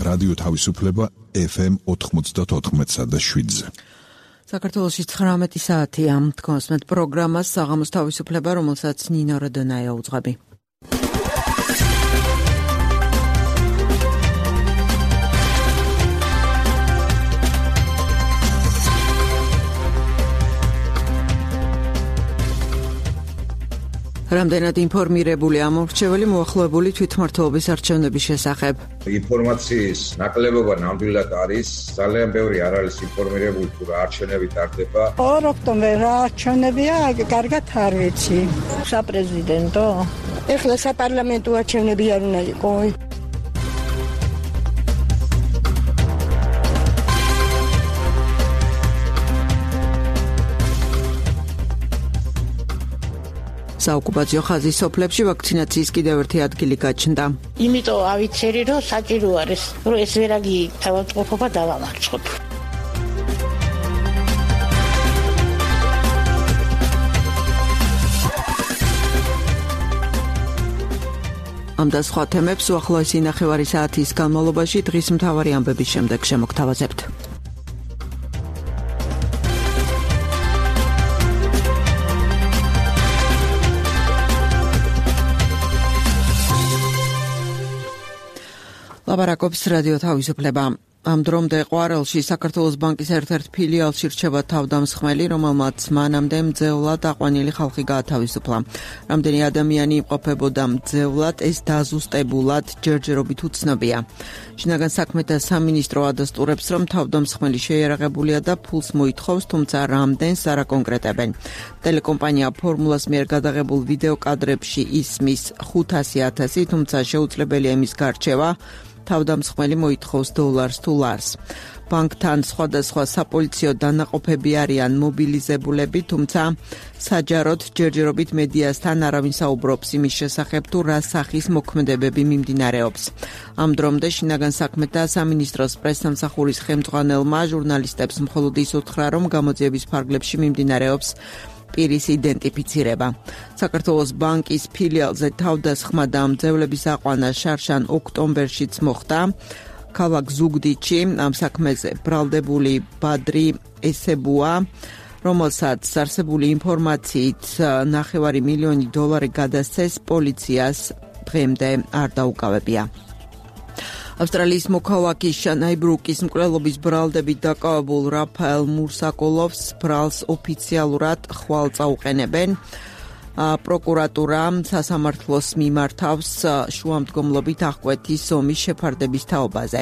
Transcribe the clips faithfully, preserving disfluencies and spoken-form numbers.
რადიო თავისუფლება ეფ ემ ოთხმოცდაოთხ და შვიდზე. საქართველოში ცხრამეტი საათია. თქვენს მეტ პროგრამას საღამოს თავისუფლება, რომელსაც ნინო როდონაია უძღვები. რამდენად ინფორმირებული ამორჩეველი მოახლოებული თვითმმართველობის არჩევნების შესახებ. ინფორმაციის ნაკლებობა ნამდვილად არის, ძალიან ბევრი არ არის ინფორმირებული თუ რა არჩევნები ტარდება. ორ ოქტომბერს რა არჩევნებია, კარგად არ ვიცი. საპრეზიდენტო? ეხლა საპარლამენტო არჩევნები არ უნდა იყო. საოკუპაციო ხაზის სოფლებში ვაქცინაციის კიდევ ერთი ადგილი გაჩნდა. იმიტომ ავიცერი, რომ საჭირო არის, რომ ეს ვერაგი თავისუფლება დავამარცხოთ. ამ და სხვა თემებს უახლოესი ნახევარი საათის განმავლობაში დღის მთავარი ამბების შემდეგ შემოგთავაზებთ. ლაბარაკობს რადიო თავისუფლება. ამ დრომდე ყვარელში საქართველოს ბანკის ერთ-ერთ ფილიალში რჩება თავდამსხმელი, რომელმაც მანამდე მძევლად აყვანილი ხალხი გაათავისუფლა. რამდენი ადამიანი იმყოფებოდა მძევლად, ეს დაზუსტებულად ჯერჯერობით უცნობია. შინაგან საქმეთა სამინისტრო ადასტურებს, რომ თავდამსხმელი შეიარაღებულია და ფულს მოითხოვს, თუმცა რამდენს არ აკონკრეტებენ. ტელეკომპანია ფორმულას მიერ გადაღებულ ვიდეო კადრებში ისმის ხუთასი ათასი, თუმცა შეუძლებელია იმის გარჩევა, თავდამსხმელი მოითხოვს დოლარს თუ ლარს. ბანკთან სხვადასხვა საპოლიციო დანაყოფები არიან მობილიზებულები, თუმცა საჯაროდ ჯერჯერობით მედიასთან არავინ საუბრობს იმის შესახებ, თუ რა სახის მოქმედებები მიმდინარეობს. ამ დრომდე შინაგან საქმეთა სამინისტროს პრესსამსახურის ხელმძღვანელმა ჟურნალისტებს მხოლოდ ის უთხრა, რომ გამოძიების ფარგლებში მიმდინარეობს პირის იდენტიფიცირება. საქართველოს ბანკის ფილიალზე თავდასხმა და მძევლების აყვანა შარშან ოქტომბერშიც მოხდა. ქალაქ ზუგდიდში ამ საქმეზე ბრალდებული ბადრი ესებუა, რომელსაც არსებული ინფორმაციით ნახევარი მილიონი დოლარი გადასცეს, პოლიციას დღემდე არ დაუკავებია. ავსტრალიის მოქალაქის შანაი ბრუკის მკვლელობის ბრალდებით დაკავებულ რაფაელ მურსაკოლოვს ბრალს ოფიციალურად ხვალ წაუყენებენ. პროკურატურა სასამართლოს მიმართავს შუამდგომლობით აღკვეთის ომის შეფარდების თაობაზე.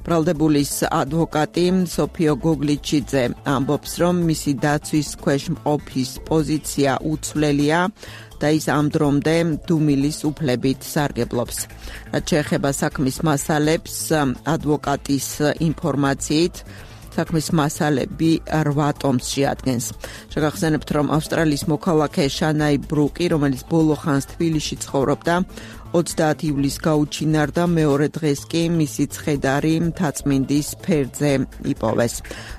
ბრალდებულის ადვოკატი სოფიო გოგლიჩიძე ამბობს, რომ მისი დაცვის ქვეშ მყოფის პოზიცია უცვლელია და ის ამ დრომდე დუმილის უფლებით სარგებლობს. რაც შეეხება საქმის მასალებს, ადვოკატის ინფორმაციით, საქმის მასალები რვა ტომს შეადგენს. შეგახსენებთ, რომ ავსტრალიის მოქალაქე შანაი ბრუკი, რომელიც ბოლო ხანს თბილისში ცხოვრობდა, ოცდაათი ივლისს გაუჩინარდა, მეორე დღეს კი მისი ცხედარი მთაწმინდის ფერზე იპოვეს.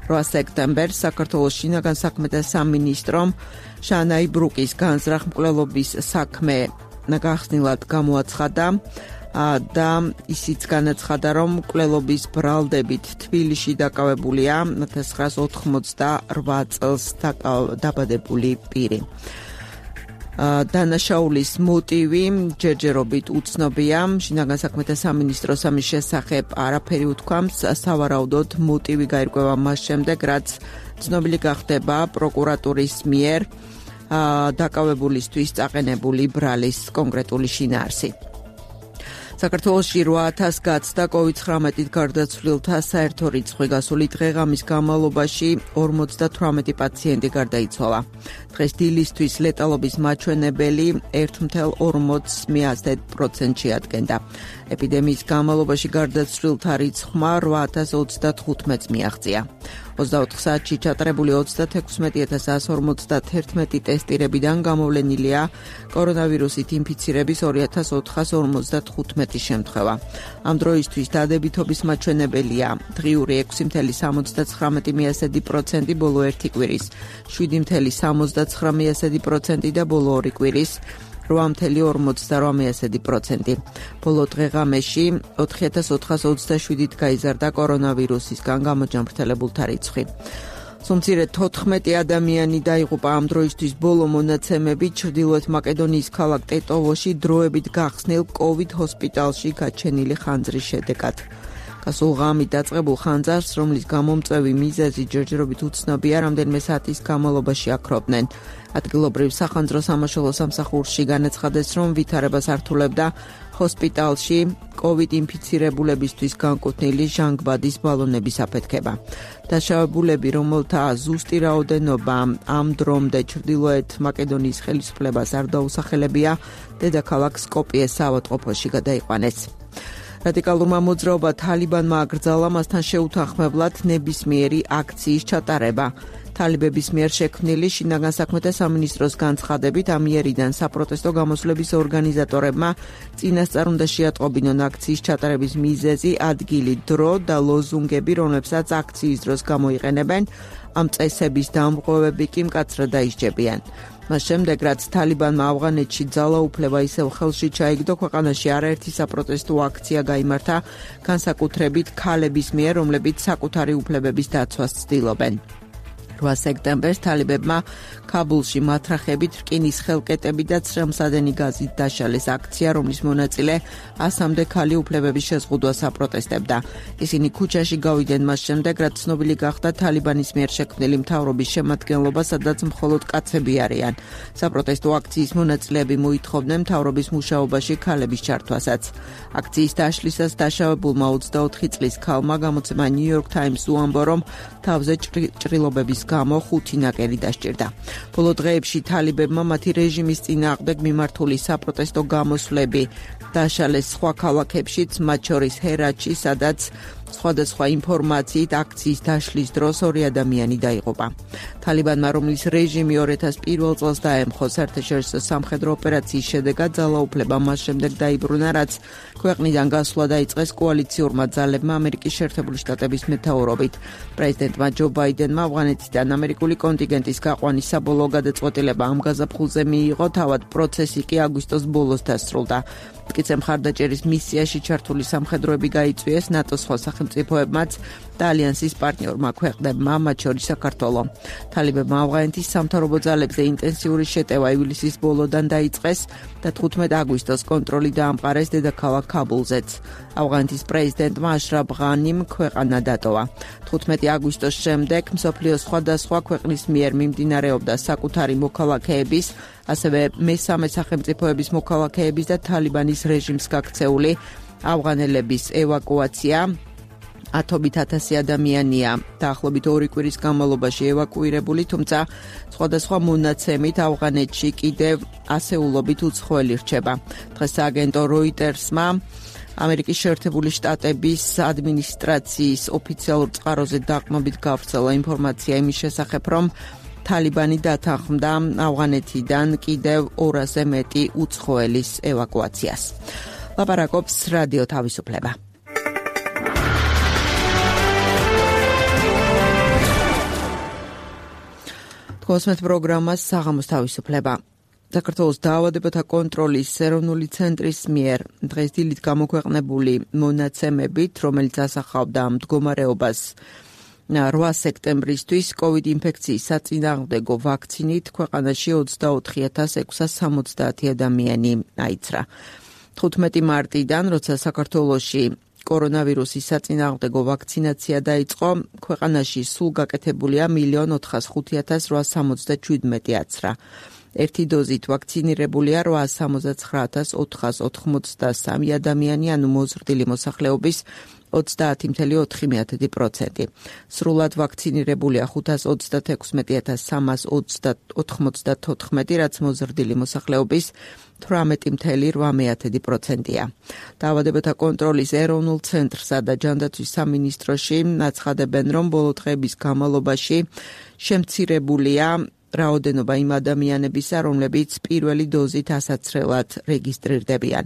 რვა სექტემბერს საქართველოს შინაგან საქმეთა სამინისტრომ შანაი ბრუკის განზრახ მკვლელობის საქმე გახსნილად გამოაცხადა და ისიც განაცხადა, რომ მკვლელობის ბრალდებით თბილისში დაკავებულია ოქროს ათას ოცდაორ წელს დაბადებული პირი. დანაშაულის მოტივი ჯერჯერობით უცნობია. შინაგან საქმეთა სამინისტროს ამის შესახებ არაფერი უთქვამს. სავარაუდოდ მოტივი გაირკვევა მას შემდეგ, რაც ცნობილი გახდება პროკურატურის მიერ დაკავებულისთვის წაყენებული ბრალის კონკრეტული შინაარსი. საქართველოში რვა ათას გაცდა კოვიდ ცხრამეტით გარდაცვლილთა საერთო რიცხვი. გასული დღე-ღამის განმავლობაში ორმოცდათვრამეტი პაციენტი გარდაიცვალა. დღეს დილისთვის ლეტალობის მაჩვენებელი ერთ целых ორმოცდაათი პროცენტი ადგენდა. ეპიდემიის განმავლობაში გარდაცვლილთა რიცხვმა რვა ათას ოცდათხუთმეტს მიაღწია. ოცდაოთხ საათში ჩატარებული ოცდათექვსმეტი ათას εκατო ორმოცდაერთმეტი ტესტირებიდან გამოვლენილია კორონავირუსით ინფიცირების ორი ათას ოთხასი ორმოცდათხუთმეტი შემთხვევა. ამ დროისთვის დადებითობის მაჩვენებელია დღიური ექვსი целых სამოცდათხრამეტი პროცენტი ბოლო ერთი კვირის, შვიდი целых სამოცდათხრამეტი პროცენტი და ბოლო ორი კვირის, რვა წუთი ორმოცდარვა პროცენტი. ბოლო დღე-ღამეში ოთხი ათას ოთხას ოცდაშვიდით გაიზარდა კორონავირუსისგან გამოჯანმრთელებულთა რიცხვი. Სომცირე თოთხმეტი ადამიანი დაიღუპა ამ დროისთვის ბოლო მონაცემები ჩრდილოეთ მაკედონიის ქალაქ ტეტოვოში დროებით გახსნილ კოვიდ ჰოსპიტალში გაჩენილი ხანძრის შედეგად. გასულ ღამით დაწყებულ ხანძარს, რომლის გამომწვევი მიზეზი ჯერჯერობით უცნობია, რამდენიმე საათის განმავლობაში აქრობდნენ. ადგილობრივ სახანძრო სამაშველო სამსახურში განაცხადეს, რომ ვითარებას ართულებდა ჰოსპიტალში კოვიდ ინფიცირებულებისთვის განკუთვნილი ჟანგბადის ბალონების აფეთქება. დაშავებულები, რომელთა ზუსტი რაოდენობა ამ დრომდე ჩრდილოეთ მაკედონიის ხელისუფლებას არ დაუსახელებია, დედაქალაქ სკოპიეს საავადმყოფოში გადაიყვანეს. რადიკალურმა მოძრაობა თალიბანმა აკრძალა მასთან შეუთანხმებლად ნებისმიერი აქციის ჩატარება. თალიბების მიერ შექმნილი შინაგან საქმეთა სამინისტროს განცხადებით ამ იერიდან საპროტესტო გამოსვლების ორგანიზატორებმა წინასწარ უნდა შეატყობინონ აქციის ჩატარების მიზეზი, ადგილი, დრო და ლოზუნგები, რომლებსაც აქციის დროს გამოიყენებენ, ამ წესების დამრღვევები კი მკაცრად დაისჯებიან. მას შემდეგ, რაც თალიბანმა ავღანეთში ძალაუფლება ისევ ხელში ჩაიგდო, ქვეყანაში არაერთი საპროტესტო აქცია გაიმართა, განსაკუთრებით ქალების მიერ, რომლებიც საკუთარი უფლებების დაცვას ცდილობენ. რვა სექტემბერს თალიბებმა ქაბულში მათრახებით რკინის ხელკეტები და ცრემლსადენი გაზით დაშალეს აქცია, რომლის მონაწილე ასამდე ქალი უფლებების შეზღუდვას აპროტესტებდა. ისინი ქუჩაში გავიდნენ მას შემდეგ, რაც ცნობილი გახდა თალიბანის მიერ შექმნილი მთავრობის შემადგენლობა, სადაც მხოლოდ კაცები არიან. საპროტესტო აქციის მონაწილეები მოითხოვდნენ მთავრობის მუშაობაში ქალების ჩართვასაც. აქციის დაშლისას დაშავებულმა ოცდაოთხი წლის ქალმა გამოცემა New York Times უამბო, რომ თავზე ჭრილობების გამო ხუთი ნაკერი დასჭირდა. ბოლო დღეებში თალიბებმა მათი რეჟიმის წინააღმდეგ მიმართული საპროტესტო გამოსვლები დაშალეს სხვა ქალაქებშიც, მათ შორის ჰერატში, სადაც სხვადასხვა ინფორმაციით აქციის დაშლის დროს ორი ადამიანი დაიღუპა. თალიბანმა, რომლის რეჟიმი ორი ათას პირველ წელს დაემხო, საერთაშორისო სამხედრო ოპერაციის შედეგად ძალაუფლება მას შემდეგ დაიბრუნა, რაც ქვეყნიდან გასვლა დაიწყეს კოალიციურმა ძალებმა ამერიკის შეერთებული შტატების მეთაურობით. პრეზიდენტმა ჯო ბაიდენმა ავღანეთიდან ამერიკული კონტინგენტის გაყვანის საბოლოო გადაწყვეტილება ამ გაზაფხულზე მიიღო, თავად პროცესი კი აგვისტოს ბოლოს დასრულდა. მტკიცე მხარდაჭერის მისიაში ჩართული სამხედროები გაიწვიეს ნატოს სხვა სახელმწიფოებმაც და ალიანსის პარტნიორმა ქვეყნებმა, მათ შორის საქართველო. თალიბებმა ავღანეთის სამთავრობო ძალებზე ინტენსიური შეტევა ივლისის ბოლოდან დაიწყეს და თხუთმეტი აგვისტოს კონტროლი დაამყარეს დედაქალაქ ქაბულზეც. ავღანეთის პრეზიდენტმა აშრაფ ღანიმ ქვეყანა დატოვა. თხუთმეტი აგვისტოს შემდეგ მსოფლიოს სხვადასხვა ქვეყნის მიერ მიმდინარეობდა საკუთარი მოქალაქეების, ასევე მესამე სახელმწიფოების მოქალაქეების და თალიბანის რეჟიმს გაქცეული ავღანელების ევაკუაცია. ათობით ათასი ადამიანია დაახლოებით ორი კვირის განმავლობაში ევაკუირებული, თუმცა სხვადასხვა მონაცემით ავღანეთში კიდევ ასეულობით უცხოელი რჩება. დღეს სააგენტო როიტერსმა ამერიკის შეერთებული შტატების ადმინისტრაციის ოფიციალურ წყაროზე დაყრდნობით გავრცელა ინფორმაცია იმის შესახებ, რომ თალიბანი დათანხმდა ავღანეთიდან კიდევ ორასზე მეტი უცხოელის ევაკუაციას. ლაპარაკობს რადიო თავისუფლება. თქოსმეთ პროგრამას საღამოს თავისუფლება. საქართველოს დაავადებათა კონტროლის ეროვნული ცენტრის მიერ დღეს დილით გამოქვეყნებული მონაცემებით, რომელიც ასახავდა მდგომარეობას რვა სექტემბრისთვის კოვიდ ინფექციის საწინააღმდეგო ვაქცინით ქვეყანაში ოცდაოთხი ათას ექვსას სამოცდაათი ადამიანი აიცრა. თხუთმეტი მარტიდან, როცა საქართველოში კორონავირუსის საწინააღმდეგო ვაქცინაცია დაიწყო, ქვეყანაში სულ გაკეთებულია მილიონ ოთხას ხუთი ათას რვაას სამოცდაშვიდმეტი აცრა. ერთი დოზით ვაქცინირებულია რვაას სამოცდაცხრა ათას ოთხას ოთხმოცდასამი ადამიანი, ანუ მოზრდილი მოსახლეობის ოცდაათი წუთი ოთხი პროცენტი. სრულად ვაქცინირებულია ხუთას ოცდათექვსმეტი ათას სამას ოცდაოთხმოცდათოთხმეტი, რაც მოზრდილი მოსახლეობის თვრამეტი წუთი რვა პროცენტია. დაავადებათა კონტროლის ეროვნულ ცენტრსა და ჯანდაცვის სამინისტროში აცხადებენ, რომ ბოლო დღეების განმავლობაში შემცირებულია რაოდენობა იმ ადამიანებისა, რომლებიც პირველი დოზით ასაცრელად რეგისტრირდებიან.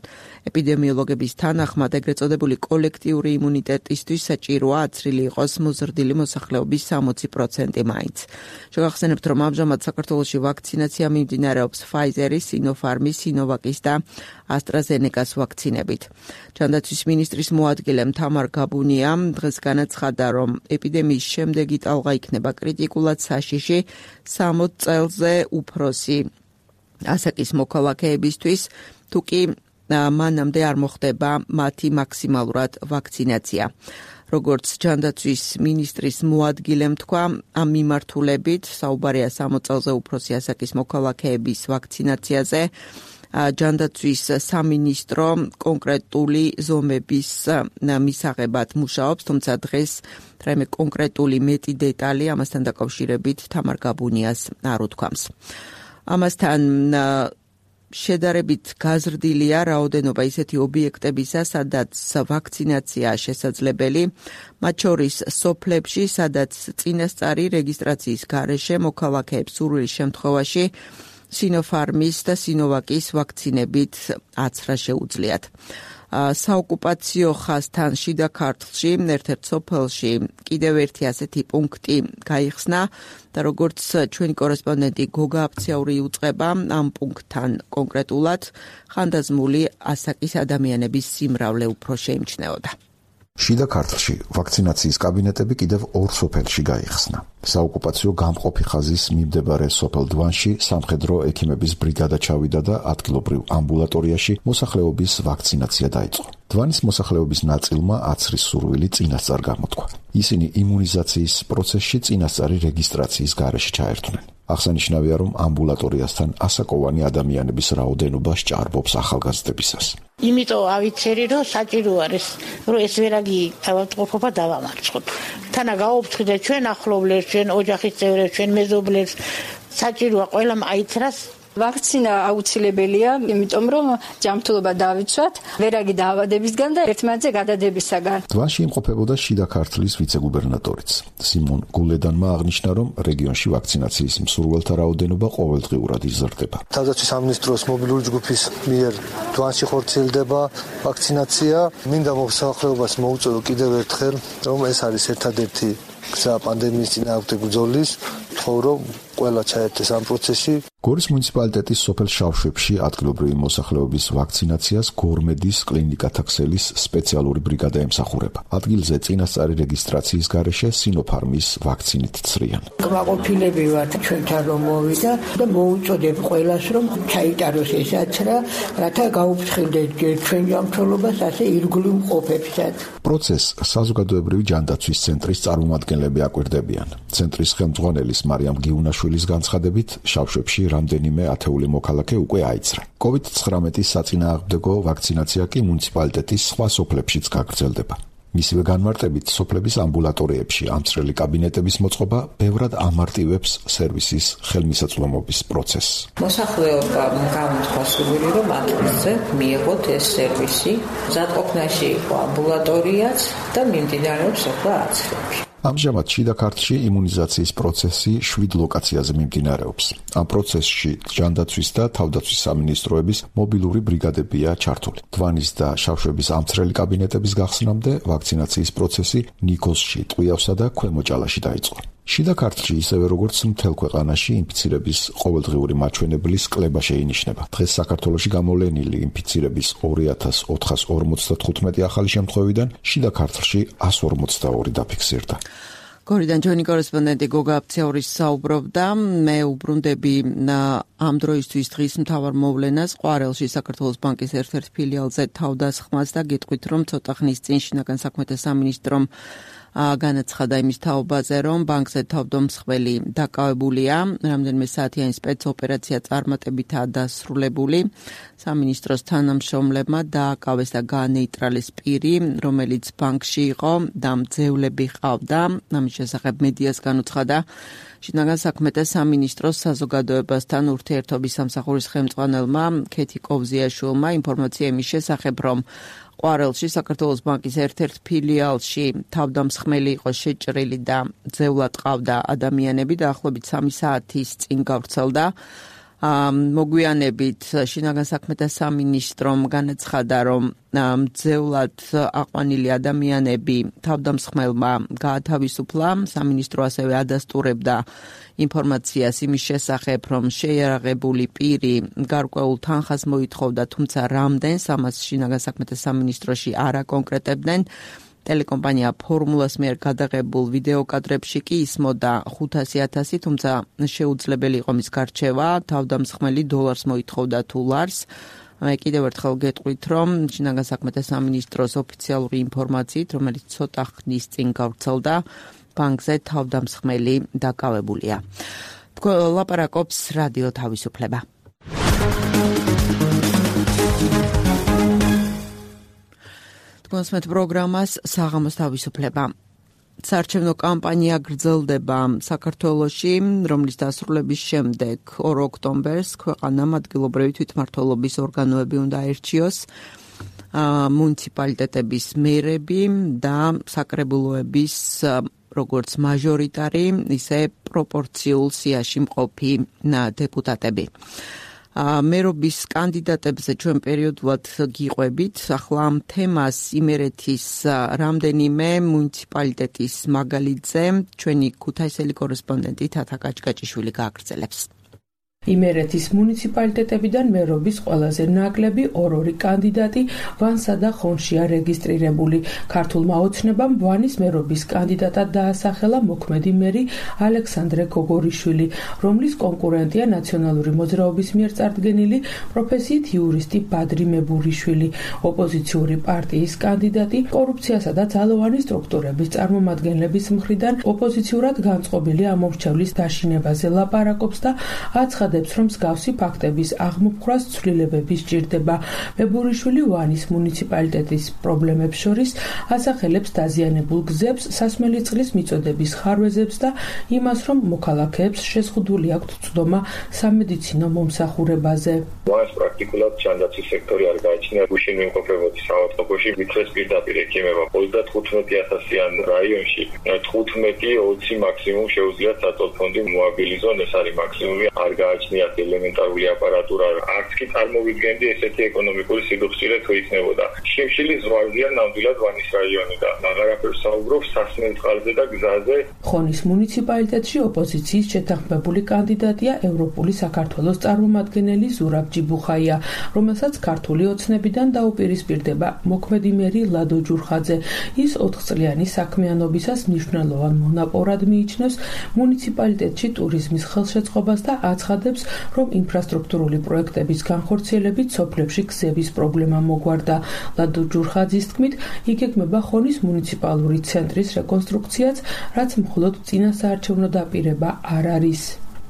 ეპიდემიოლოგების თანახმად ეგრეთ წოდებული კოლექტიური იმუნიტეტისთვის საჭიროა აცრილი იყოს მოზრდილი მოსახლეობის სამოცი პროცენტი მაინც. შეგახსენებთ, რომ ამჟამად საქართველოში ვაქცინაცია მიმდინარეობს Pfizer-ის, Sinopharm-ის, Sinovac-ის და AstraZeneca-s ვაქცინებით. ჯანდაცვის მინისტრის მოადგილე თამარ გაბუნიამ დღეს განაცხადა, რომ ეპიდემიის შემდეგი ტალღა იქნება კრიტიკულად საშიში სამოც წელზე უფროსი ასაკის მოქალაქეებისთვის, თუკი მანამდე არ მოხდება მათი მაქსიმალურად ვაქცინაცია. როგორც ჯანდაცვის მინისტრის მოადგილემ თქვა, ამ მიმართულებით საუბარია სამოც წელზე უფროსი ასაკის მოქალაქეების ვაქცინაციაზე. ჯანდაცვის სამინისტრო კონკრეტული ზომების მისაღებად მუშაობს, თუმცა დღეს რაიმე კონკრეტული მეტი დეტალი ამასთან დაკავშირებით თამარ გაბუნიას არ უთქვამს. ამასთან შედარებით გაზრდილია რაოდენობა ისეთი ობიექტებისა, სადაც ვაქცინაცია შესაძლებელი, მათ შორის სოფლებში, სადაც წინასწარი რეგისტრაციის გარეშე მოქალაქეებს სურვილის შემთხვევაში Sinopharm-ის და Sinovac-ის ვაქცინებით აცრა შეუძლიათ. საოკუპაციო ხაზთან შიდა ქართლში, ერთ-ერთ სოფელში კიდევ ერთი ასეთი პუნქტი გაიხსნა და როგორც ჩვენი კორესპონდენტი გოგა აფციაური იუწყება, ამ პუნქტთან კონკრეტულად ხანდაზმული ასაკის ადამიანების სიმრავლე უფრო შეიმჩნეოდა. შიდა ქართლში ვაქცინაციის კაბინეტები კიდევ ორ სოფელში გაიხსნა. საოკუპაციო გამყოფი ხაზის მიმდებარე სოფელ დვანში სამხედრო ექიმების ბრიგადა ჩავიდა და ადგილობრივ ამბულატორიაში მოსახლეობის ვაქცინაცია დაიწყო. დვანის მოსახლეობის ნაწილმა აცრის სურვილი წინასწარ გამოთქვა. ისინი იმუნიზაციის პროცესში წინასწარი რეგისტრაციის გარეშე ჩაერთვნენ. აღსანიშნავია, რომ ამბულატორიასთან ასაკოვანი ადამიანების რაოდენობა სჭარბობს ახალგაზრდებისას. იმიტომ ავიცერი, რომ საჭირო არის, რომ ეს ვერაგი თავისუფლება დავამარცხოთ. თანა გაუფრთხილდეთ ჩვენ ახლობლებს, ჩვენ ოჯახის წევრებს, ჩვენ მეზობლებს, საჭიროა ყველამ აიცრას. ვაქცინა აუცილებელია, იმიტომ რომ ჯანმრთელობა დავიცვათ ვერაგი დაავადებისგან და ერთმანეთზე გადადებისაგან. დვანში იმყოფებოდა შიდა ქართლის ვიცე-გუბერნატორიც. სიმონ გულედანმა აღნიშნა, რომ რეგიონში ვაქცინაციის მსურველთა რაოდენობა ყოველდღიურად იზრდება. თავდაცვის სამინისტროს მობილური ჯგუფის მიერ დვანში ხორციელდება ვაქცინაცია. მინდა მოსახლეობას მოუწოდო კიდევ ერთხელ, რომ ეს არის ერთადერთი გზა პანდემიის წინააღმდეგ ბრძოლის, თქო რომ ყველა ჩაერთეს ამ პროცესში. გორის მუნიციპალიტეტის სოფელ შავშვებში ადგილობრივი მოსახლეობის ვაქცინაციას გორმედის კლინიკათა ქსელის სპეციალური ბრიგადა ემსახურება. ადგილზე წინასწარი რეგისტრაციის გარეშე Sinopharm-ის ვაქცინით ცრიან. კმაყოფილები ვართ ჩვენთან რომ მოვიდა და მოუწოდებ ყველას რომ ჩაიტაროს ეს აცრა, რათა გაუფრთხილდეთ ჩვენ ჯანმრთელობას ასე ირგვლივ მყოფებსაც. პროცესს საზოგადოებრივი ჯანდაცვის ცენტრის წარმომადგენლები აკვირდებიან. ცენტრის ხელმძღვანელის მარიამ გიუნაშვილის განცხადებით, შავშვებში რამდენიმე ათეული მოქალაქე უკვე აიცრა. კოვიდ ცხრამეტის საწინააღმდეგო ვაქცინაცია კი მუნიციპალიტეტის სხვა სოფლებშიც გაგრძელდება. მისივე განმარტებით, სოფლების ამბულატორიებში ამცრელი კაბინეტების მოწყობა ბევრად ამარტივებს სერვისის ხელმისაწვდომობის პროცესს. მოსახლეობამ გამოთქვა სურვილი, რომ ათვისზე მიიღოთ ეს სერვისი. მზადყოფნაში იყო ამბულატორიაც და მიმდინარეობს ახლა აცრები. ამჟამად შიდა ქართლში იმუნიზაციის პროცესი შვიდ ლოკაციაზე მიმდინარეობს. ამ პროცესში ჯანდაცვის და თავდაცვის სამინისტროების მობილური ბრიგადებია ჩართული. დვანის და შავშვების ამცრელი კაბინეტების გახსნამდე ვაქცინაციის პროცესი ნიქოზში, ტყვიავსა და ქვემოჭალაში დაიწყო. შიდა ქართლში ისევე როგორც მთელ ქვეყანაში ინფიცირების ყოველდღიური მაჩვენებლის კლება შეინიშნება. დღეს საქართველოში გამოვლენილი ინფიცირების ორი ათას ოთხას ორმოცდათხუთმეტი ახალი შემთხვევიდან შიდა ქართლში ასი ორმოცდაორი დაფიქსირდა. გორიდან ჩვენი კორესპონდენტი გოგა აფციაური საუბრობდა. მე უბრუნდები ამ დროისთვის დღის მთავარ მოვლენას ყვარელში საქართველოს ბანკის ერთ-ერთ ფილიალზე თავდასხმას და გეტყვით, რომ ცოტა ხნის წინ შინაგან საქმეთა სამინისტრომ განაცხადა იმის თაობაზე, რომ ბანკზე თავდამსხმელი დაკავებულია. რამდენიმე საათიანი სპეცოპერაცია წარმატებითაა დასრულებული. სამინისტროს თანამშრომლებმა დააკავეს და განეიტრალეს პირი, რომელიც ბანკში იყო და მძევლები ჰყავდა. ამის შესახებ მედიას განუცხადა შინაგან საქმეთა სამინისტროს საზოგადოებასთან ურთიერთობის სამსახურის ხელმძღვანელმა ქეთი კოვზიაშვილმა ინფორმაცია იმის შესახებ, რომ ყვარელში საქართველოს ბანკის ერთ-ერთ ფილიალში თავდამსხმელი იყო შეჭრილი და ძევლად ყავდა ადამიანები და ახლობით სამი საათის წინ გავრცელდა. მოგვიანებით შინაგან საქმეთა სამინისტრომ განაცხადა, რომ ძევლად აყვანილი ადამიანები თავდამსხმელმა გაათავისუფლა. სამინისტრო ასევე ადასტურებდა ინფორმაციას იმის შესახებ, რომ შეიარაღებული პირი გარკვეულ თანხას მოითხოვდა, თუმცა რამდენს ამას შინაგან საქმეთა სამინისტროში არ აკონკრეტებდნენ. ტელეკომპანია ფორმულას მიერ გადაღებულ ვიდეოკადრებში კი ისმოდა ხუთასი ათასი, თუმცა შეუძლებელი იყო მის გარჩევა, თავდამსხმელი დოლარს მოითხოვდა თუ ლარს. მე კიდევ ერთხელ გეტყვით, რომ შინაგან საქმეთა სამინისტროს ოფიციალური ინფორმაციით, რომელიც ცოტა ხნის წინ გავრცელდა, ბანკზე თავდამსხმელი დაკავებულია. ლაპარაკობს რადიო თავისუფლება. კონსმეთ პროგრამას საღამოს თავისუფლება. საარჩევნო კამპანია გრძელდება საქართველოში, რომლის დასრულების შემდეგ ორ ოქტომბერს ქვეყანამ ადგილობრივი თვითმმართველობის ორგანოები უნდა აერჩიოს, მუნიციპალიტეტების მერები და საკრებულოების როგორც მაჟორიტარი, ისე პროპორციულ სიაში მყოფი დეპუტატები. მერობის კანდიდატებზე ჩვენ პერიოდულად გიყვებით. ახლა ამ თემას იმერეთის რამდენიმე მუნიციპალიტეტის მაგალითზე ჩვენი ქუთაისელი კორესპონდენტი თათა კაჭკაჭიშვილი გააგრძელებს. იმერეთის მუნიციპალიტეტებიდან მერობის ყველაზე ნაკლები ორ-ორი კანდიდატი ვანსა და ხონშია რეგისტრირებული. ქართულმა ოცნებამ ვანის მერობის კანდიდატად დაასახელა მოქმედი მერი ალექსანდრე გოგორიშვილი, რომლის კონკურენტია ნაციონალური მოძრაობის მიერ წარდგენილი პროფესიით იურისტი ბადრი მებურიშვილი. ოპოზიციური პარტიის კანდიდატი კორუფციასა და ძალოვანი სტრუქტურების წარმომადგენლების მხრიდან ოპოზიციურად განწყობილი ამორჩევლის დაშინებაზე ლაპარაკობს და აცხადებს, რომ მსგავსი ფაქტების აღმოფხვრას ცვლილებები სჭირდება. მებურიშვილი ვანის მუნიციპალიტეტის პრობლემებს შორის ასახელებს დაზიანებულ გზებს, სასმელი წყლის მიწოდების ხარვეზებს და იმას, რომ მოქალაქეებს შეზღუდული აქვთ ცდომა სამედიცინო მომსახურებაზე. ვანის პრაქტიკულად ჯანდაცვის სექტორი არ გააჩნია. გუშინ მიმყოფებოდი საავადმყოფოში, მიწვეს პირდაპირ ექიმება ოცდათხუთმეტი ათასიან რაიონში თხუთმეტი ოცი მაქსიმუმ შეუძლია საწოლფონდი მოაბილიზონ, ეს არის მაქსიმუმი. არ გააჩნიათ ელემენტარული აპარატურა, არც კი წარმოვიდგენდი ესეთი ეკონომიკური სიძულწილე თუ იქნებოდა. შიმშილი ზღვარზეა ნამდვილად ვანის რაიონი და აღარაფერს საუბრობს სასმელ წყალზე და გზაზე. ხონის მუნიციპალიტეტში ოპოზიციის შეთანხმებული კანდიდატია ევროპული საქართველოს წარმომადგენელი ზურაბ ჯიბუხაია, რომელსაც ქართული ოცნებიდან დაუპირისპირდება მოქმედი მერი ლადო ჯურხაძე. ის ოთხწლიანი საქმიანობისას მნიშვნელოვან მონაპორად მიიჩნევს მუნიციპალიტეტში ტურიზმის ხელშეწყობას და აცხადებს, რომ ინფრასტრუქტურული პროექტების განხორციელებით სოფლებში გზების პრობლემა მოგვარდა. ლადო ჯურხაძის თქმით, იგეგმება ხონის მუნიციპალური ცენტრის რეკონსტრუქციაც, რაც მხოლოდ წინასაარჩევნო დაპირება არ არის.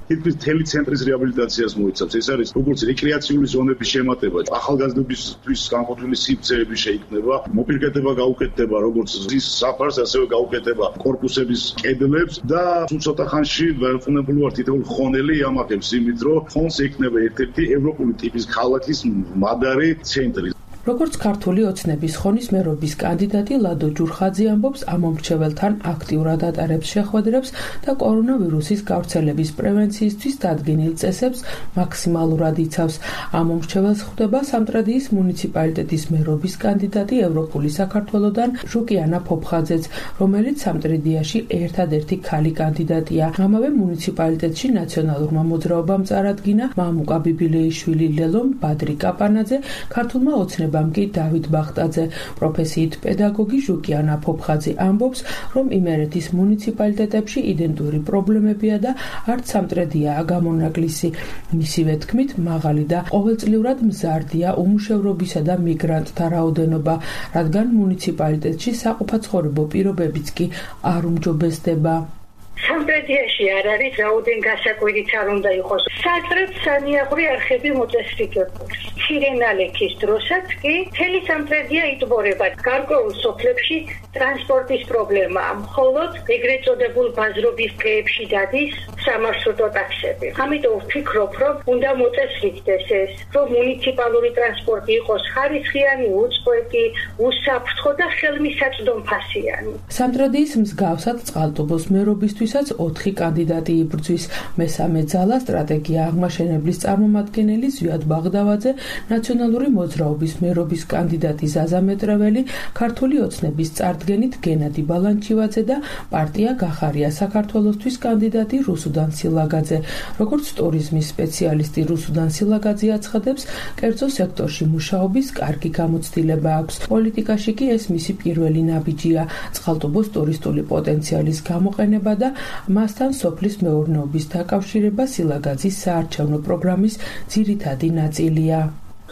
თითქმის მთელი ცენტრის რეაბილიტაციას მოიცავს. ეს არის როგორც რეკრეაციული ზონების შემატება, ახალგაზრდებისთვის განყოფილი სივრცეები შეიქმნება, მოპირკეთება გაუკეთდება როგორც ზის საფარს, ასევე გაუკეთება კორპუსების კედლებს და სულ ცოტა ხანში დაუყოვნებლივ ვარ თითოეულ ხონელი იამახებს იმით, რომ ხონს ექნება ერთ-ერთი ევროპული ტიპის ქალაქის მადარი ცენტრი. როგორც ქართული ოცნების ხონის მერობის კანდიდატი ლადო ჯურხაძე ამბობს, ამომრჩეველთან აქტიურად ატარებს შეხვედრებს და კორონავირუსის გავრცელების პრევენციისთვის დადგენილ წესებს მაქსიმალურად იცავს. ამომრჩეველს ხვდება სამტრედიის მუნიციპალიტეტის მერობის კანდიდატი ევროპული საქართველოდან ჟუკიანა ფოფხაძეც, რომელიც სამტრედიაში ერთადერთი ქალი კანდიდატია. ამავე მუნიციპალიტეტში ნაციონალურმა მოძრაობამ წარადგინა მამუკა ბიბილეიშვილი, ლელომ ბადრი კაპანაძე, ქართულმა ოცნებამ კი დავით ბახტაძე. პროფესიით პედაგოგი ჟუკიანა ფოფხაძე ამბობს, რომ იმერეთის მუნიციპალიტეტებში იდენტური პრობლემებია და არც სამტრედიაა გამონაკლისი. მისივე თქმით, მაღალი და ყოველწლიურად მზარდია უმუშევრობისა და მიგრანტთა რაოდენობა, რადგან მუნიციპალიტეტში საყოფაცხოვრებო პირობებიც კი არ უმჯობესდება. სამტრედიაში არ არის რაოდენ გასაკვირიც არ უნდა იყოს. საჭრეთ სანიაღვრი არხები მოწესრიგებული. ცირენალექის დროსაც კი მთელი სამტრედია იტბორება. გარკვეულ სოფლებში ტრანსპორტის პრობლემაა. მხოლოდ ეგრეთ წოდებულ ბაზრობის დღეებში დადის სამარშრუტო ტაქსები. ამიტომ ვფიქრობ, რომ უნდა მოწესრიგდეს ეს, რომ მუნიციპალური ტრანსპორტი იყოს ხარისხიანი, უწყვეტი, უსაფრთხო და ხელმისაწვდომფასიანი. სამტრედიის მსგავსად წყალტუბოს მერობისთვისაც ოთხი კანდიდატი იბრძვის. მესამე ძალა სტრატეგია აღმაშენებლის წარმომადგენელი ზვიად ბაღდავაძე, ნაციონალური მოძრაობის მერობის კანდიდატი ზაზა მეტრეველი, ქართული ოცნების წარდგენით გენადი ბალანჩივაძე და პარტია გახარია საქართველოსთვის კანდიდატი რუსუდან სილაგაძე. როგორც ტურიზმის სპეციალისტი რუსუდან სილაგაძე აცხადებს, კერძო სექტორში მუშაობის კარგი გამოცდილება აქვს. პოლიტიკაში კი ეს მისი პირველი ნაბიჯია. წყალტუბოს ტურისტული პოტენციალის გამოყენება და მასთან სოფლის მეურნეობის დაკავშირება სილაგაძის საარჩევნო პროგრამის ძირითადი ნაწილია.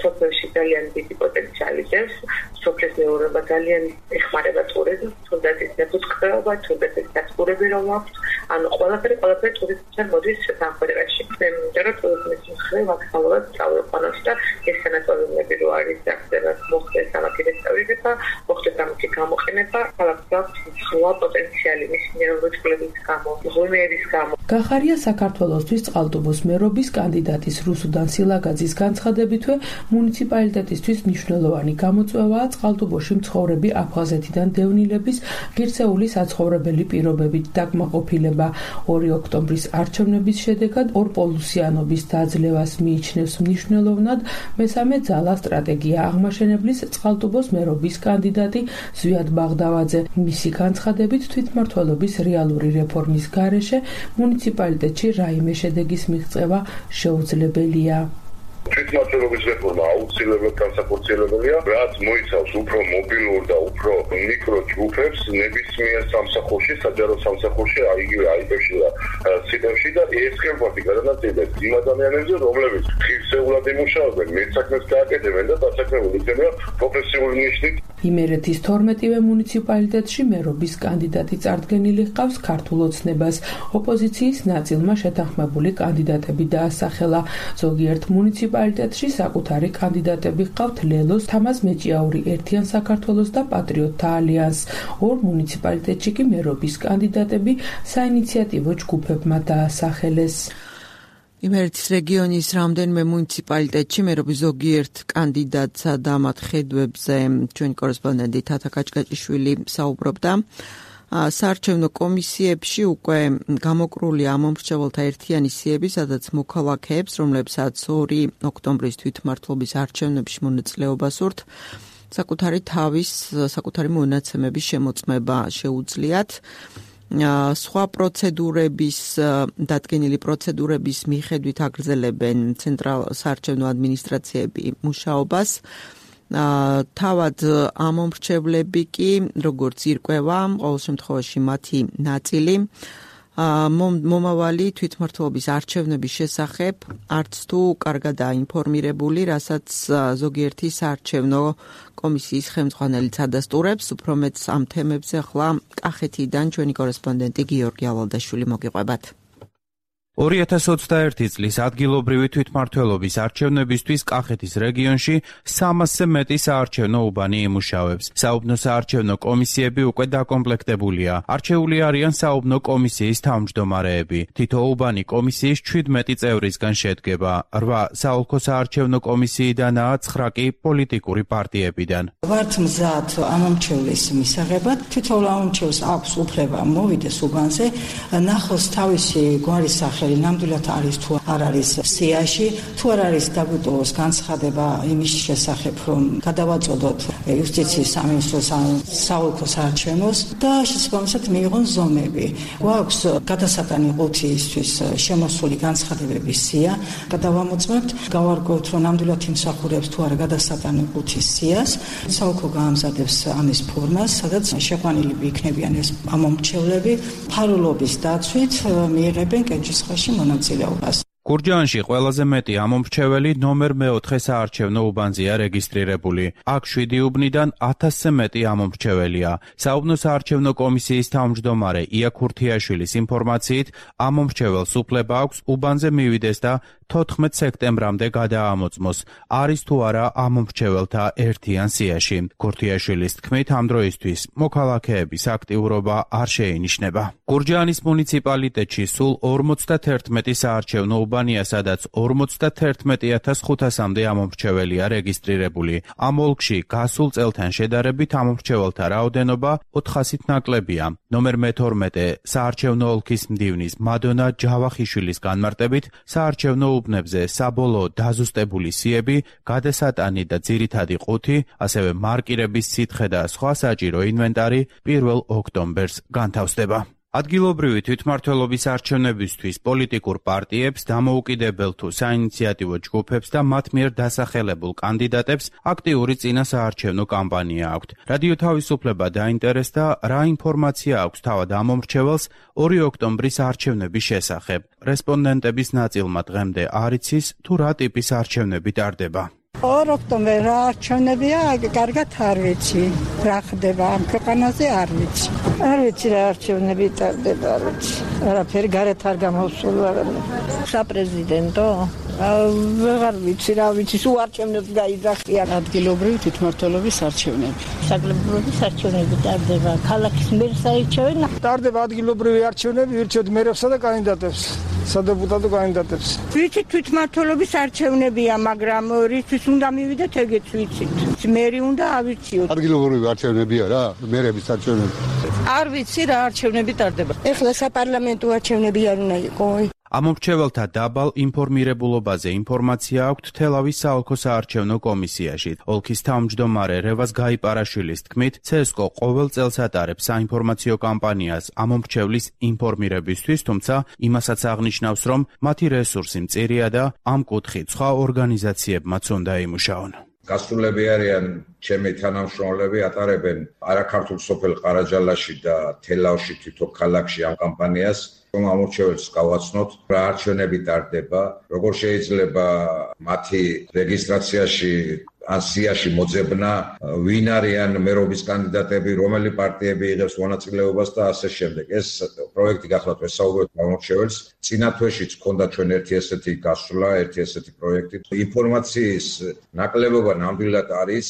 სოფელში ძალიან დიდი პოტენციალი ჟევს, სოფლის მეურნეობა ძალიან ეხმარება ტურიზმს, თუნდაც ის მეფუტკრეობა, თუნდაც ის დაწურები რომ აქვს, ანუ ყველაფერი ყველაფერი ტურიზმთან მოდის სამხრეთში. მე მინდა რომ ტურიზმის მხრივ მაქსიმალურად წავიყვანოს და ეს სანატორიუმები რო არის აქცევას მოხდეს სამი რესტავრირება, მოხდეს სამი გამოყენება, ქალაქს აქვს სულა პოტენციალი მის ნევროლოგიის გამო, ღონეების გამო. გახარია საქართველოსთვის წყალტუბოს მერობის კანდიდატის რუსუდან სილაგაძის განცხადებითვე მუნიციპალიტეტისთვის მნიშვნელოვანი გამოწვევაა წყალტუბოში მცხოვრები აფხაზეთიდან დევნილების ღირსეული საცხოვრებელი პირობებით დაკმაყოფილება. ორი ოქტომბრის არჩევნების შედეგად ორპოლუსიანობის დაძლევას მიიჩნევს მნიშვნელოვნად მესამე ძალა სტრატეგია აღმაშენებლის წყალტუბოს მერობის კანდიდატი ზვიად ბაღდავაძე. მისი განცხადებით თვითმმართველობის რეალური რეფორმის გარეშე მუნიციპალიტეტში რაიმე შედეგის მიღწევა შეუძლებელია. თვითმმართველობის რეფორმა აუცილებლად განსახორციელებელია, რაც მოიცავს უფრო მობილურ და უფრო მიკრო ჯგუფებს ნებისმიერ სამსახურში, საჯარო სამსახურში, იგივე აიტებში და სიტევში და ეს ხელფასი გადანაწილებს იმ ადამიანებზე, რომლებიც ღირსეულად იმუშავებენ, მეტსაქმეს გააკეთებენ და დასაქმებულ იქნება პროფესიული ნიშნით. იმერეთის თორმეტივე მუნიციპალიტეტში მერობის კანდიდატი წარდგენილი ჰყავს ქართულ ოცნებას. ოპოზიციის ნაწილმა შეთანხმებული კანდიდატები დაასახელა. ზოგიერთ მუნიციპალიტეტში საკუთარი კანდიდატები ჰყავთ ლელოს, თამაზ მეჭიაური ერთიან საქართველოს და პატრიოტთა ალიანსს. ორ მუნიციპალიტეტში კი მერობის კანდიდატები საინიციატივო ჯგუფებმა დაასახელეს. იმერეთის რეგიონის რამდენიმე მუნიციპალიტეტში მერობის ზოგიერთ კანდიდატსა და მათ ხედვებზე ჩვენი კორესპონდენტი თათა კაჭკაჭიშვილი საუბრობდა. საარჩევნო კომისიებში უკვე გამოკრულია ამომრჩეველთა ერთიანი სიები, სადაც მოქალაქეებს, რომლებსაც ორი ოქტომბრის თვითმმართველობის არჩევნებში მონაწილეობა სურთ, საკუთარი თავის, საკუთარი მონაცემების შემოწმება შეუძლიათ. სხვა პროცედურების, დადგენილი პროცედურების მიხედვით აგრძელებენ ცენტრალ საარჩევნო ადმინისტრაციები მუშაობას. თავად ამომრჩევლები კი, როგორც ირკვევა, ყოველ შემთხვევაში მათი ნაწილი მომავალი თვითმმართველობის არჩევნების შესახებ არც თუ კარგადაა ინფორმირებული, რასაც ზოგიერთი საარჩევნო კომისიის ხელმძღვანელიც ადასტურებს. უფრო მეტს ამ თემებზე ახლა კახეთიდან ჩვენი კორესპონდენტი გიორგი ავალდაშვილი მოგიყვებათ. ორი ათას ოცდაერთი წლის ადგილობრივი თვითმმართველობის არჩევნებისთვის კახეთის რეგიონში სამასზე მეტი საარჩევნო უბანი იმუშავებს. საუბნო საარჩევნო კომისიები უკვე დაკომპლექტებულია. არჩეული არიან საუბნო კომისიის თავმჯდომარეები. თითო უბანი კომისიის ჩვიდმეტი წევრისგან შედგება. რვა საოლქო საარჩევნო კომისიიდანაა, ცხრა კი პოლიტიკური პარტიებიდან. ვართ მზად ამომრჩევლის მისაღებად. თითოეულ ამომრჩევლს აქვს უფლება მოვიდეს უბანზე, ნახოს თავისი გვარის სახე ნამდვილად არის თუ არ არის სიაში, თუ არ არის დაგვიტოვოს განცხადება იმის შესახებ, რომ გადავაწოდოთ იუსტიციის სამინისტროს საოლქო საარჩევნოს და შესაბამისად მიიღონ ზომები. გვაქვს გადასატანი ყუთისთვის შემოსული განცხადებების სია, გადავამოწმებთ, გავარკვევთ, რომ ნამდვილად იმსახურებს თუ არა გადასატანი ყუთის სიას, საოლქო გაამზადებს ამის ფორმას, სადაც შეყვანილი იქნებიან ეს ამომრჩევლები, ფარულობის დაცვით მიიღებენ კენჭისყრაში მონაწილეობას. გურჯაანში ყველაზე მეტი ამომრჩეველი ნომერ მეოთხე საარჩევნო უბანზეა რეგისტრირებული. აქ შვიდი უბნიდან ათასზე მეტი ამომრჩეველია. საუბნო საარჩევნო კომისიის თავმჯდომარე ია ქურთიაშვილის ინფორმაციით, ამომრჩეველს უფლება აქვს უბანზე მივიდეს და თოთხმეტ სექტემბრამდე გადაამოწმოს, არის თუ არა ამომრჩეველთა ერთიან სიაში. ქურთიაშვილის თქმით, ამ დროისთვის მოქალაქეების აქტიურობა არ შეინიშნება. გურჯაანის მუნიციპალიტეტში სულ ორმოცდაათი საარჩევნო უბანია, სადაც ორმოცდაათი ათას ხუთასამდე ამომრჩეველია რეგისტრირებული. ამ ოლქში გასულ წელთან შედარებით ამომრჩეველთა რაოდენობა ოთხასით ნაკლებია. ნომერ მეთორმეტე საარჩევნო ოლქის მდივნის მადონა ჯავახიშვილის განმარტებით, საარჩევნო უბნებზე საბოლოო დაზუსტებული სიები, გადასატანი და ძირითადი ყუთი, ასევე მარკირების სითხე და სხვა საჭირო ინვენტარი პირველ ოქტომბერს განთავსდება. ადგილობრივი თვითმმართველობის არჩევნებისთვის პოლიტიკურ პარტიებს, დამოუკიდებელ თუ საინიციატივო ჯგუფებს და მათ მიერ დასახელებულ კანდიდატებს აქტიური წინასაარჩევნო კამპანია აქვთ. რადიო თავისუფლება დაინტერესდა, რა ინფორმაცია აქვს თავად ამომრჩეველს ორი ოქტომბრის არჩევნების შესახებ. რესპონდენტების ნაწილმა დღემდე არ იცის, თუ რა ტიპის არჩევნები ტარდება. ორ ოქტომბერს რა არჩევნებია, კარგად არ ვიცი. რა ხდება ამ ქვეყანაზე არ ვიცი. არ ვიცი რა არჩევნები ტარდება, არ ვიცი. არაფერი გარეთ არ გამოსულ არამე. საპრეზიდენტო? ვეღარ ვიცი, რა ვიცი, სულ არჩევნებს გაიძახიან. ადგილობრივი თვითმმართველობის არჩევნები. საგლობრივი არჩევნები ტარდება. ქალაქის მერს აირჩევენ. ტარდება ადგილობრივი არჩევნები, ირჩევთ მერებსა და კანდიდატებს. სადეპუტატო კანდიდატებს. ვიცი თვითმმართველობის არჩევნებია, მაგრამ რისთვის უნდა მივიდეთ, ეგეც ვიცით. მერი უნდა ავირჩიოთ. ადგილობრივი არჩევნებია რა, მერების არჩევნები. არ ვიცი რა არჩევნები ტარდება. ეხლა საპარლამენტო არჩევნები არ უნდა იყოს. ამომრჩეველთა დაბალ ინფორმირებულობაზე ინფორმაცია აქვთ თელავის საოლქო საარჩევნო კომისიაში. ოლქის თავმჯდომარე რევაზ გაიპარაშვილის თქმით, ცესკო ყოველ წელს ატარებს საინფორმაციო კამპანიას ამომრჩევლის ინფორმირებისთვის, თუმცა იმასაც აღნიშნავს, რომ მათი რესურსი მწირია და ამ კუთხით სხვა ორგანიზაციებმაც უნდა იმუშაონ. გასულები არიან ჩემი თანამშრომლები, ატარებენ არაქართულ სოფელ ყარაჯალაში და თელავში თვითონ ქალაქში ამ კამპანიას, რომ ამორჩეველს გავაცნოთ, რა არჩევნები ტარდება, როგორ შეიძლება მათი რეგისტრაციაში ან სიაში მოძებნა, ვინ არიან მერობის კანდიდატები, რომელი პარტიები იღებს მონაწილეობას და ასე შემდეგ. ეს პროექტი გახლავთ ვესაუბრეთ ამორჩეველს. წინა თვეშიც ჰქონდა ჩვენ ერთი ესეთი გასვლა, ერთი ესეთი პროექტი. ინფორმაციის ნაკლებობა ნამდვილად არის.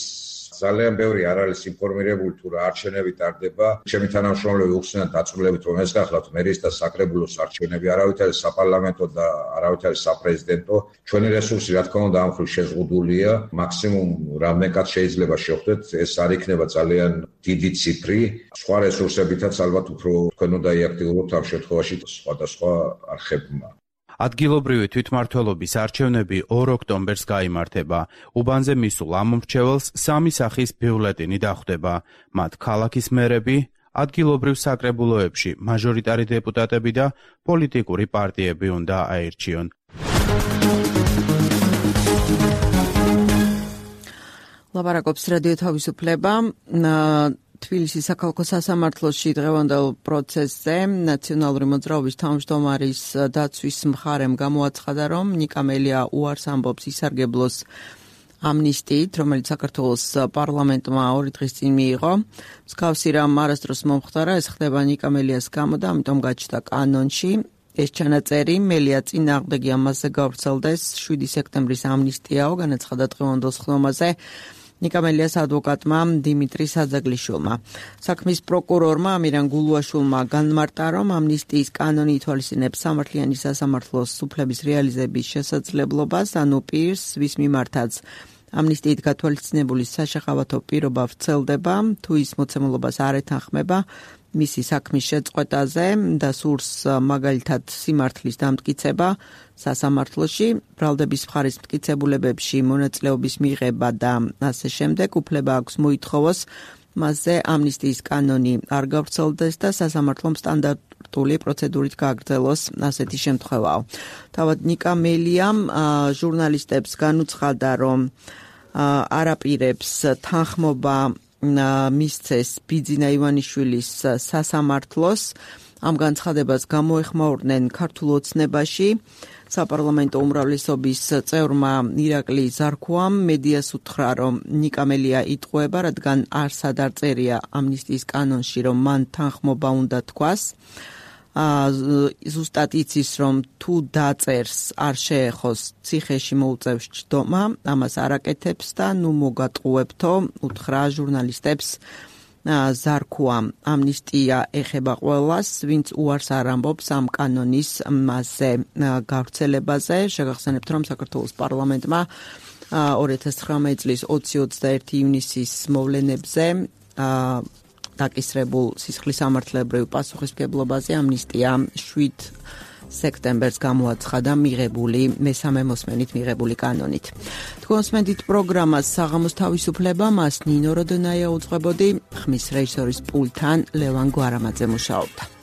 ძალიან ბევრი არ არის ინფორმირებული თუ რა არჩევნები ტარდება. ჩემი თანამშრომლები უხსნიან დაწვრილებით, რომ ეს გახლავთ მერის და საკრებულოს არჩევნები, არავით არის საპარლამენტო და არავით არის საპრეზიდენტო. ჩვენი რესურსი რა თქმა უნდა ამ მხრივ შეზღუდულია. მაქსიმუმ რამეკაც შეიძლება შევხვდეთ, ეს არ იქნება ძალიან დიდი ციფრი. სხვა რესურსებითაც ალბათ უფრო თქვენ უნდა იაქტიუროთ ამ შემთხვევაში სხვადასხვა არხებმა. ადგილობრივი თვითმმართველობის არჩევნები ორ ოქტომბერს გაიმართება. უბანზე მისულ ამომრჩეველს სამი სახის ბიულეტინი დახვდება. მათ ქალაქის მერები, ადგილობრივ საკრებულოებში მაჟორიტარი დეპუტატები და პოლიტიკური პარტიები უნდა აირჩიონ. ლაპარაკობს რადიო თავისუფლება. თბილისის საქალაქო სასამართლოში დღევანდელ პროცესზე ნაციონალური მოძრაობის თავმჯდომარის დაცვის მხარემ გამოაცხადა, რომ ნიკა მელია უარს ამბობს ისარგებლოს ამნისტიით, რომელიც საქართველოს პარლამენტმა ორი დღის წინ მიიღო. მსგავსი რამ არასდროს მომხდარა, ეს ხდება ნიკა მელიას გამო და ამიტომ გაჩნდა კანონში. ეს ჩანაწერი მელია წინააღმდეგი ამაზე გავრცელდეს შვიდი სექტემბრის ამნისტიაო, განაცხადა დღევანდელ სხდომაზე ნიკა მელიას ადვოკატმა დიმიტრი საძაგლიშვილმა. საქმის პროკურორმა ამირან გულუაშვილმა განმარტა, რომ ამნისტიის კანონი ითვალისწინებს სამართლიანი სასამართლოს უფლების რეალიზების შესაძლებლობას, ანუ პირს, ვის მიმართაც ამნისტიით გათვალისწინებული საშახავათო პირობა ვრცელდება, თუ ის მოცემულობას არ ეთანხმება მისი საქმის შეწყვეტაზე და სურს მაგალითად სიმართლის დამტკიცება სასამართლოში, ბრალდების მხარის მტკიცებულებებში მონაწილეობის მიღება და ასე შემდეგ, უფლება აქვს მოითხოვოს მასზე ამნისტიის კანონი არ გავრცელდეს და სასამართლომ სტანდარტული პროცედურით გააგრძელოს ასეთი შემთხვევაა. თავად ნიკა მელიამ ჟურნალისტებს განუცხადა, რომ არაპირებს თანხმობა მისცეს ბიძინა ივანიშვილის სასამართლოს ამ განცხადებას გამოეხმაურნენ ქართულ ოცნებაში. საპარლამენტო უმრავლესობის წევრმა ირაკლი ზარქუამ მედიას უთხრა, რომ ნიკამელია იტყუება, რადგან არ სადარწერია ამნისტიის კანონში, რომ მან თანხმობა უნდა თქვას. ზუსტად იცის, რომ თუ დაწერს არ შეეხოს ციხეში მოუწევს ჯდომა, ამას არ აკეთებს და ნუ მოგატყუებთო, უთხრა ჟურნალისტებს ზარქუამ. ამნისტია ეხება ყველას, ვინც უარს არ ამბობს ამ კანონის მასზე გავრცელებაზე. შეგახსენებთ, რომ საქართველოს პარლამენტმა ორი ათას ცხრამეტი წლის ოცი ოცდაერთი ივნისის მოვლენებზე დაკისრებულ სისხლის სამართლებრივ პასუხისმგებლობაზე ამნისტია შვიდ სექტემბერს გამოაცხადა მიღებული მესამე მოსმენით მიღებული კანონით. თქვენსმენდით პროგრამას საღამოს თავისუფლება, მას ნინო როდონაია უძღვებოდი, ხმის რეჟისორის პულტთან ლევან გვარამაძე მუშაობდა.